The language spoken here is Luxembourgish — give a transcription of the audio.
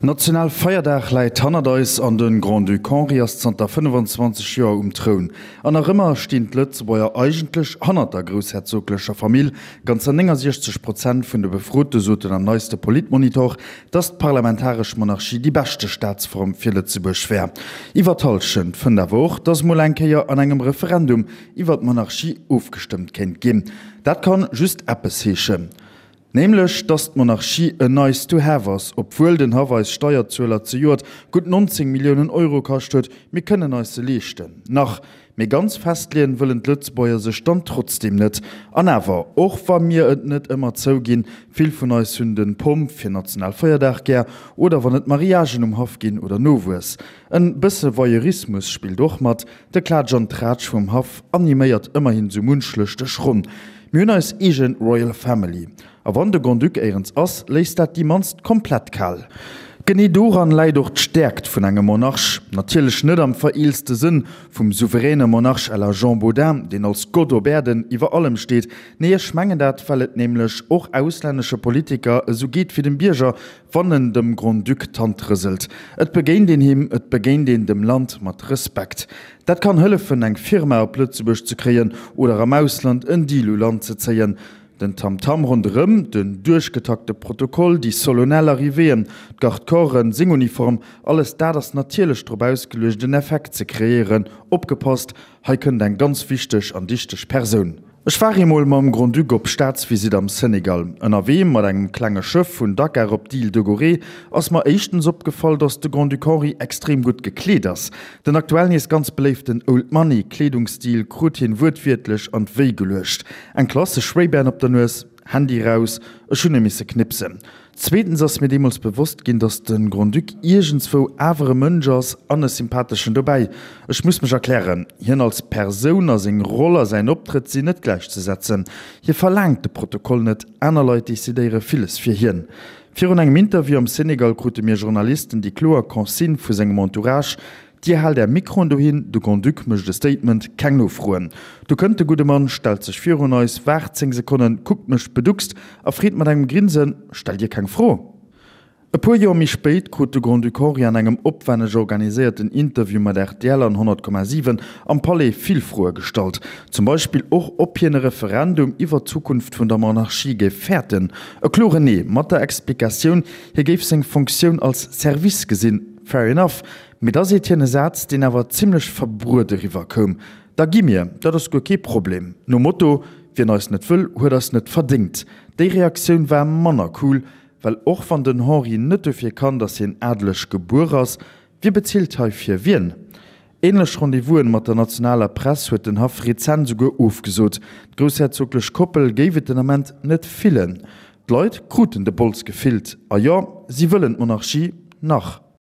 National Feierdag läit hannert eis an de Grand-Duc Henri ass zanter 25 Joer um Troun. An nach ëmmer stinn d'Lëtzebuerger eigentlech hannert der groussherzoglecher Famill. Ganzer 69 Prozent vun de Befrote soten am neiste Politmonitor, datt d'parlamentaresch Monarchie déi beschte Staatsform fir Lëtzebuerg wär. Iwwer d'Hallschent fënnt awer och, datt mol eng Kéier an engem Referendum iwwer d'Monarchie ofgestëmmt kéint ginn. Dat kann just eppes heeschen. Nämlech, dass d'Monarchie en nice to have ass, obwuel den Haff eis Steierzueler zejoert gutt 19 Milliounen Euro kascht huet. Mir kënnen eis se leeschten. Nach. Mee ganz festleeën wëllen d'Lëtzebuerger sech dann trotzdeem net. An awer, och wa mir et net ëmmer zouginn, vill vun eis hunn den Pomp fir Nationalfeierdag gär, oder wann et Mariagen um Haff ginn oder Nowuess. En bësse Voyeurismus spillt och mat, De Klaatsch an Traatsch vum Haff animéiert ëmmerhin sou munch lëschteg Ronn. Mir hunn eis eegen Royal Family. A wann de Grand-Duc éierens ass, léisst dat déi mannst komplett kal. Genee doran läit och d'Stäerkt vun engem Monarch. Natierlech net am vereelste Sënn vum souveräne Monarch à la Jean Bodin, deen als Gott op Äerden iwwer allem steet. Nee, ech mengen dat, well et nämlech och auslännesche Politiker esou geet wéi dem Bierger, wann en dem Grand-Duc d'Hand rëselt. Et begéint een him, et begéint een dem Land mat Respekt. Dat kann hëllefen, eng Firma op Lëtzebuerg ze kréien oder am Ausland en Deal u Land ze zéien. Den Tamtam ronderëm, den duerchgetakte Protokoll, déi solennel Arrivéeën, d'Garde-corpsen, seng Uniform, alles dat ass natierlech drop ausgeluecht, en Effekt ze kreéieren, Opgepasst, hei kënnt eng ganz wichteg an dichteg Persoun. Ech war eemol mam Grand-Duc op Staatsvisitt am Senegal. Ënnerwee mat engem klenge Schëff vun Dakar op d'Île de Gorée ass mer éischtens opgefall, dass de Grand-Duc Henri extrem gutt gekleet ass. Den aktuell nees ganz beléiften Old Money Kleedungsstil krut hien wuertwiertlech an d'Wéi geluecht. Eng klassesch Ray-Ban op der Nues, Handy raus, ech hunn e misse knipsen. Zweetens ass mir deemools bewosst ginn, dass de Grand-Duc iergendswou awer e Mënsch ass an e sympatheschen dobäi. Ech muss mech erklären, Hien als Persoun a seng Roll a säin Optrëtt sinn net gläichzesetzen. Hie verlaangt de Protokoll net, aner Leit decidéiere villes fir hien. Virun engem Interview am Senegal krute mir Journalisten déi kloer Consigne vu sengem Entourage, Dir haalt är Mikroen dohin, de Grand-Duc mécht e Statement, keng Nofroen. Du kënnt de gudde Mann, stellt sech virun eis, waart 10 Sekonnen, kuckt mech beduckst a freet mat engem Grinsen, Stellt Dir keng Fro? E puer Joer méi spéit krut de Grand-Duc Henri an engem opwenneg organiséierten Interview mat rtl an 100,7 am Palais vill Froe gestallt. Zum Beispill och, ob hien e Referendum iwwer d'Zukunft vun der Monarchie géif fäerten. E kloren Nee, mat der Explikatioun, hie géif seng Fonctioun als Service gesinn. Fair enough, mee da seet hien e Saz, deen awer zimmlech verbruet eriwwer koum, Da gi mir, dat ass guer kee Problem. Nom Motto, Wien eis net wëll, huet eis net verdéngt. Déi Reaktioun war manner cool, Well och wann den Henri net dofir kann, datt hien adeleg gebuer ass, wie bezilt hei fir wien? Ähnlech Rendez-vousen mat der nationaler Press huet den Haff rezent esouguer ofgesot. D'groussherzoglech Koppel géif et den Ament net fillen. D'Leit kruten de Bols gefillt. A jo, si wëllen d'Monarchie nach.